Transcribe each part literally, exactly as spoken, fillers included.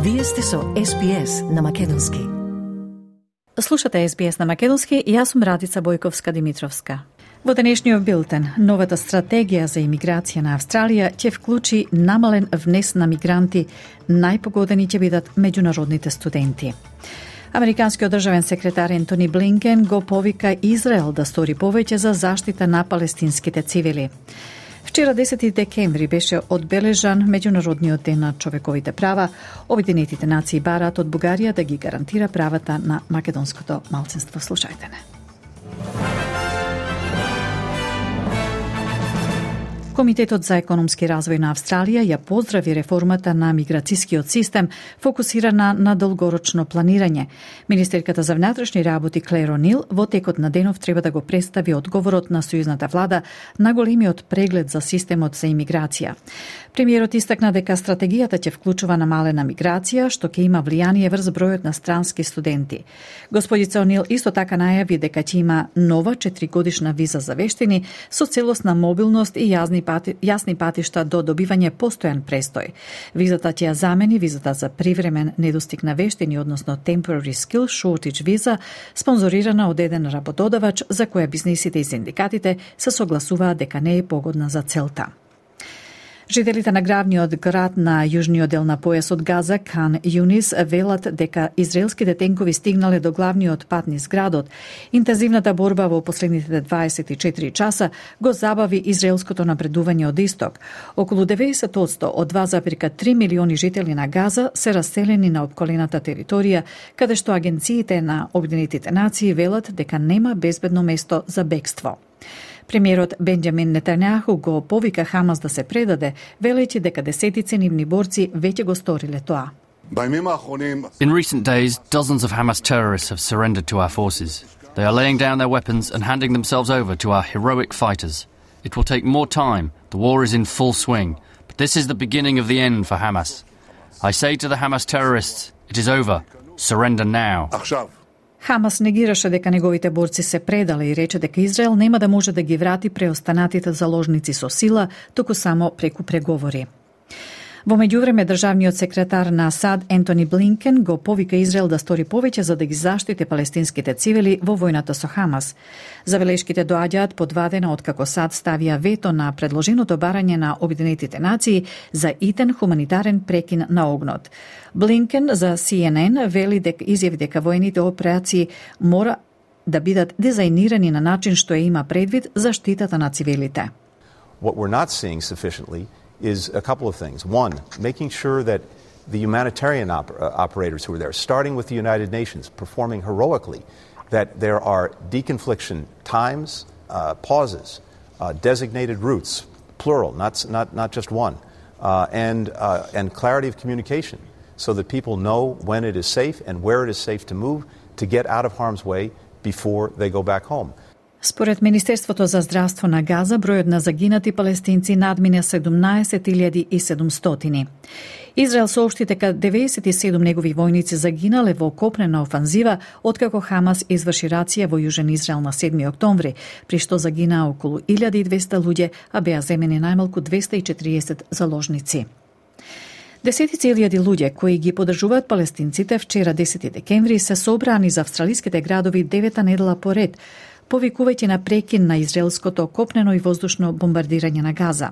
Вие сте со Ес Би Ес на Македонски. Слушате Ес Би Ес на Македонски и јас сум Радица Бојковска-Димитровска. Во денешниот билтен, новата стратегија за имиграција на Австралија ќе вклучи намален внес на мигранти, најпогодени ќе бидат меѓународните студенти. Американскиот државен секретар Ентони Блинкен го повика Израел да стори повеќе за заштита на палестинските цивили. Вчера десети декември беше одбележан Меѓународниот ден на човековите права. Обединетите нации бараат од Бугарија да ги гарантира правата на македонското малцинство. Слушајте не. Комитетот за економски развој на Австралија ја поздрави реформата на миграцискиот систем, фокусирана на долгорочно планирање. Министерката за внатрешни работи Клер О'Нил во текот на денов треба да го представи одговорот на сојузната влада на големиот преглед за системот за имиграција. Премиерот истакна дека стратегијата ќе вклучува намалена миграција, што ќе има влијание врз бројот на странски студенти. Господица О'Нил исто така најави дека ќе има нова четиригодишна виза за вештини со целосна мобилност и јазни пати, јасни патишта до добивање постојан престој. Визата ќе ја замени визата за привремен недостиг на вештини, односно Temporary Skill Shortage виза, спонзорирана од еден работодавач за која бизнисите и синдикатите се согласуваат дека не е погодна за целта. Жителите на главниот град на јужниот дел на појасот Газа, Кан Юнис, велат дека израелските тенкови стигнале до главниот пат низ градот. Интензивната борба во последните дваесет и четири часа го забави израелското напредување од исток. Околу деветдесет одсто од два зарез три милиони жители на Газа се раселени на опколената територија, каде што агенциите на Обединетите нации велат дека нема безбедно место за бегство. Премиерот Бенџамин Нетањаху го повика Хамас да се предаде, велејќи дека десетици нивни борци веќе го сториле тоа. In recent days, dozens of Hamas terrorists have surrendered to our forces. They are laying down their weapons and handing themselves over to our heroic fighters. It will take more time. The war is in full swing. But this is the beginning of the end for Hamas. I say to the Hamas terrorists, it is over. Surrender now. Хамас негираше дека неговите борци се предале и рече дека Израел нема да може да ги врати преостанатите заложници со сила, туку само преку преговори. Во меѓувреме, државниот секретар на САД Ентони Блинкен го повика Израел да стори повеќе за да ги заштити палестинските цивили во војната со Хамас. Забелешките доаѓаат по два дена откако САД ставија вето на предложеното барање на Обединетите нации за итен хуманитарен прекин на огнот. Блинкен за Си Ен Ен вели дека изјави дека воените операции мора да бидат дизајнирани на начин што ја има предвид заштитата на цивилите. What we're not seeing sufficiently is a couple of things. One, making sure that the humanitarian op- uh, operators who are there, starting with the United Nations, performing heroically, that there are deconfliction times, uh, pauses, uh, designated routes, plural, not, not, not just one, uh, and, uh, and clarity of communication so that people know when it is safe and where it is safe to move to get out of harm's way before they go back home. Според Министерството за здравство на Газа, бројот на загинати палестинци надмина седумнаесет илјади и седумстотини. Израел соопшти дека деветдесет и седум негови војници загинале во копнена офанзива откако Хамас изврши рација во Јужен Израел на седми октомври, при што загинаа околу илјада и двесте луѓе, а беа земени најмалку двесте и четириесет заложници. Десетици илјади луѓе кои ги поддржуваат палестинците вчера десети декември се собраа низ австралиските градови девета недела поред, повикувајќи на прекин на израелското копнено и воздушно бомбардирање на Газа.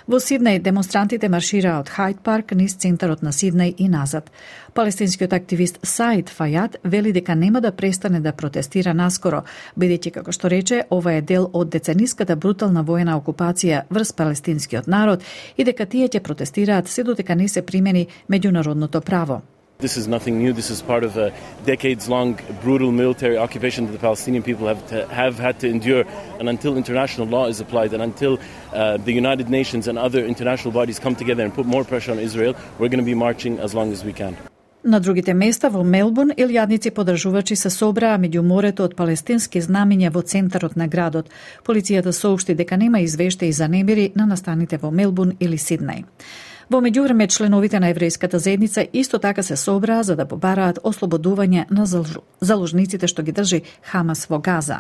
Во Сиднеј демонстрантите маршираа од Хайд парк низ центарот на Сиднеј и назад. Палестинскиот активист Саид Фајад вели дека нема да престане да протестира наскоро, бидејќи, како што рече, ова е дел од децениската брутална воена окупација врз палестинскиот народ и дека тие ќе протестираат се додека не се примени меѓународното право. This is nothing new. This is part of a decades-long brutal military occupation that the Palestinian people have to, have had to endure. And until international law is applied and until uh, the United Nations and other international bodies come together and put more pressure on Israel, we're going to be marching as long as we can. На другите места во Мелбурн, илјадници поддржувачи се собраа меѓу морето од палестински знамиња во центарот на градот. Полицијата соопшти дека нема извештаи за немири на настаните во Мелбурн или Сиднеј. Во меѓувреме, членовите на еврејската заедница исто така се собраа за да побараат ослободување на заложниците што ги држи Хамас во Газа.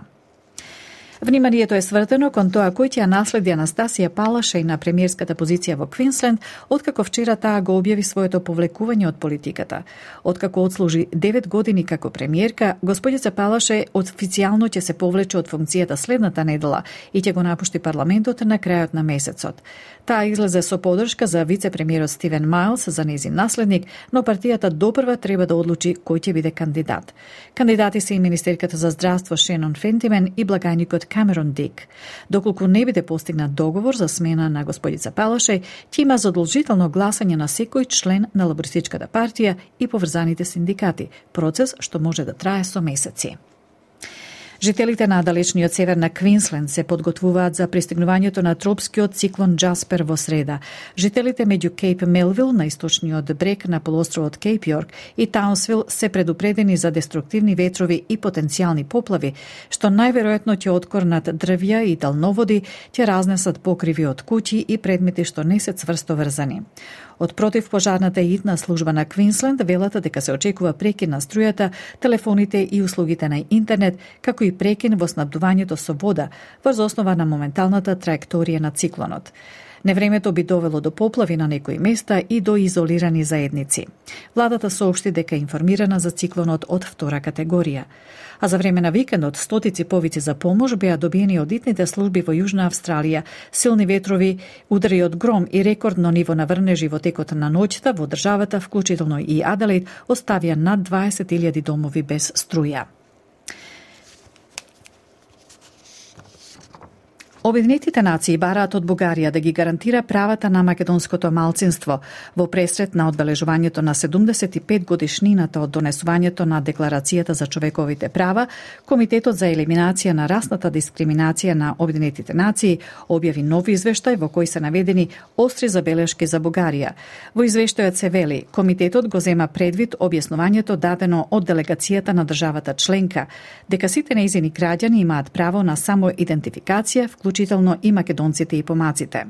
Вниманието е свртено кон тоа кој ќе ја наследи Анастасија Палашај на премиерската позиција во Квинсленд, откако вчера таа го објави своето повлекување од политиката. Откако отслужи девет години како премиерка, господица Палашај официјално ќе се повлече од функцијата следната недела и ќе го напушти парламентот на крајот на месецот. Таа излезе со поддршка за вице-премиерот Стивен Мајлс за нејзин наследник, но партијата допрва треба да одлучи кој ќе биде кандидат. Кандидати се и министерката за здравство Шенон Фентимен и благајникот Камерон Дик. Доколку не биде постигнат договор за смена на господица Палашај, ќе има задолжително гласање на секој член на лабористичката партија и поврзаните синдикати, процес што може да трае со месеци. Жителите на далечниот север на Квинсленд се подготвуваат за пристигнувањето на тропскиот циклон Джаспер во среда. Жителите меѓу Кейп Мелвил на источниот брег на полуостровот Кейп Јорк и Таунсвил се предупредени за деструктивни ветрови и потенцијални поплави, што најверојатно ќе откорнат дрвја и далноводи, ќе разнесат покриви од куќи и предмети што не се цврсто врзани. Од противпожарната и итна служба на Квинсленд велат дека се очекува прекин на струјата, телефоните и услугите на интернет, како и прекин во снабдувањето со вода, врз основа на моменталната траекторија на циклонот. Невремето би довело до поплави на некои места и до изолирани заедници. Владата соопшти дека е информирана за циклонот од втора категорија. А за време на викендот стотици повици за помош беа добиени од итните служби во Јужна Австралија. Силни ветрови, удари од гром и рекордно ниво на врнежи во текот на ноќта во државата, вклучително и Аделаид, оставија над дваесет илјади домови без струја. Обединетите нации бараат од Бугарија да ги гарантира правата на македонското малцинство во пресрет на одбележувањето на седумдесет и пет годишнината од донесувањето на Декларацијата за човековите права. Комитетот за елиминација на расната дискриминација на Обединетите нации објави нов извештај во кој се наведени остри забелешки за Бугарија. Во извештајот се вели, комитетот го зема предвид објаснувањето дадено од делегацијата на државата членка, дека сите нејзини граѓани имаат право на самоидентификација, вклучително и македонците и помаците.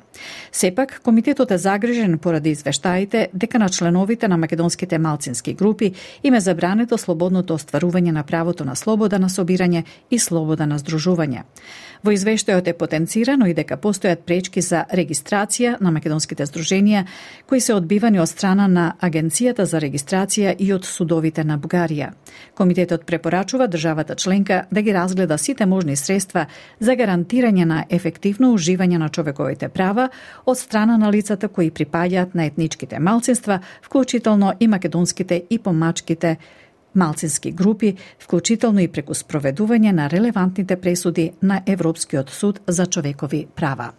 Сепак, комитетот е загрижен поради извештаите дека на членовите на македонските малцински групи им е забрането слободното остварување на правото на слобода на собирање и слобода на здружување. Во извештајот е потенцирано и дека постојат пречки за регистрација на македонските здруженија, кои се одбивани од страна на Агенцијата за регистрација и од судовите на Бугарија. Комитетот препорачува државата членка да ги разгледа сите можни средства за гарантирање на ефективно уживање на човековите права од страна на лицата кои припаѓаат на етничките малцинства, вклучително и македонските и помачките малцински групи, вклучително и преку спроведување на релевантните пресуди на Европскиот суд за човекови права.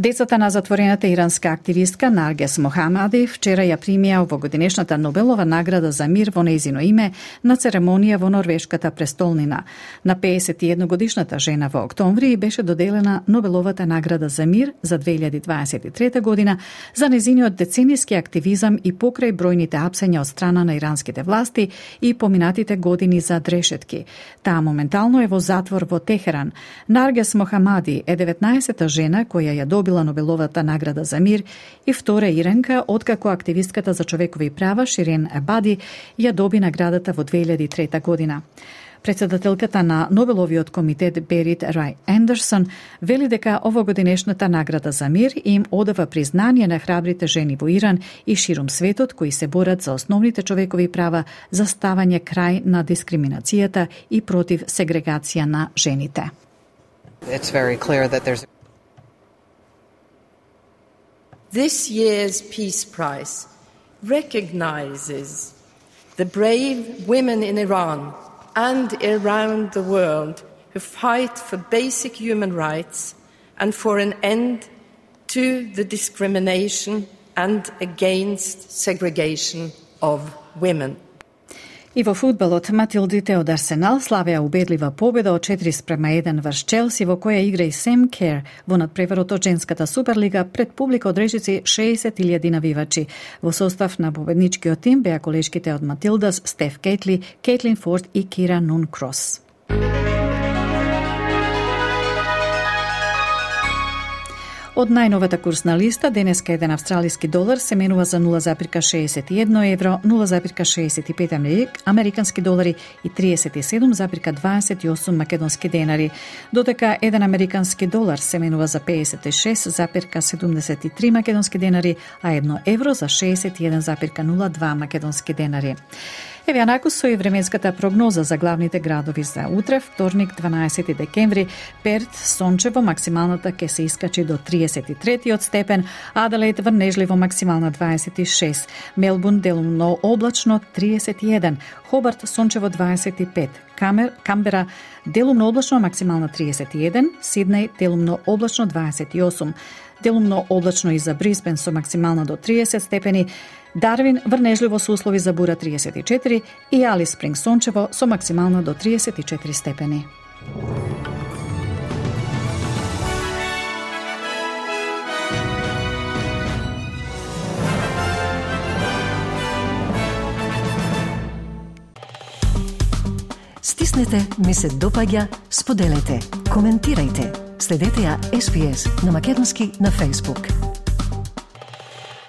Децата на затворената иранска активистка Наргес Мохамади вчера ја примија овогодинешната Нобелова награда за мир во нејзино име на церемонија во норвешката престолнина. На пеесет и една годишната жена во октомври беше доделена Нобеловата награда за мир за две илјади дваесет и трета година за нејзиниот децениски активизам и покрај бројните апсења од страна на иранските власти и поминатите години за дрешетки. Таа моментално е во затвор во Техеран. Наргес Мохамади е деветнаесета жена која ја добила Нобеловата награда за мир и втора иранка откако активистката за човекови права Ширин Ебади ја доби наградата во две илјади и трета година. Председателката на Нобеловиот комитет Берит Рај Ендерсон вели дека овогодинешната награда за мир им одава признание на храбрите жени во Иран и ширум светот кои се борат за основните човекови права, за ставање крај на дискриминацијата и против сегрегација на жените. It's very clear that there's This year's Peace Prize recognizes the brave women in Iran and around the world who fight for basic human rights and for an end to the discrimination and against segregation of women. И во фудбалот, Матилдите од Арсенал славеа убедлива победа од четири спрема еден врз Челси, во која игра и Сем Кер во надпреварот од женската Суперлига пред публика од речици шеесет илјади навивачи. Во состав на победничкиот тим беа колешките од Матилдас Стеф Кейтли, Кейтлин Форд и Кира Нун Крос. Од најновата курсна листа, денеска еден австралиски долар се менува за нула запирка шеесет и едно евро, нула запирка шеесет и пет американски долари и триесет и седум запирка дваесет и осум македонски денари, додека еден американски долар се менува за пеесет и шест запирка седумдесет и три македонски денари, а едно евро за шеесет и еден запирка нула два македонски денари. Еве анаку со и временската прогноза за главните градови за утре, вторник, дванаесети декември. Перт, сончево, максималната ќе се искачи до триесет и три степен, Аделаид врнежливо максимална дваесет и шест, Мелбурн делумно облачно триесет и еден, Хобарт сончево дваесет и пет, Камер, Камбера делумно облачно максимална триесет и еден, Сиднеј делумно облачно дваесет и осум, делумно облачно и за Брисбен со максимална до триесет степени, Дарвин врнежливо со услови за бура триесет и четири и Алис Спринг сончево со максимална до триесет и четири степени. Стиснете, ми се допаѓа, споделете, коментирајте. Следете ја Ес Би Ес на македонски на Facebook.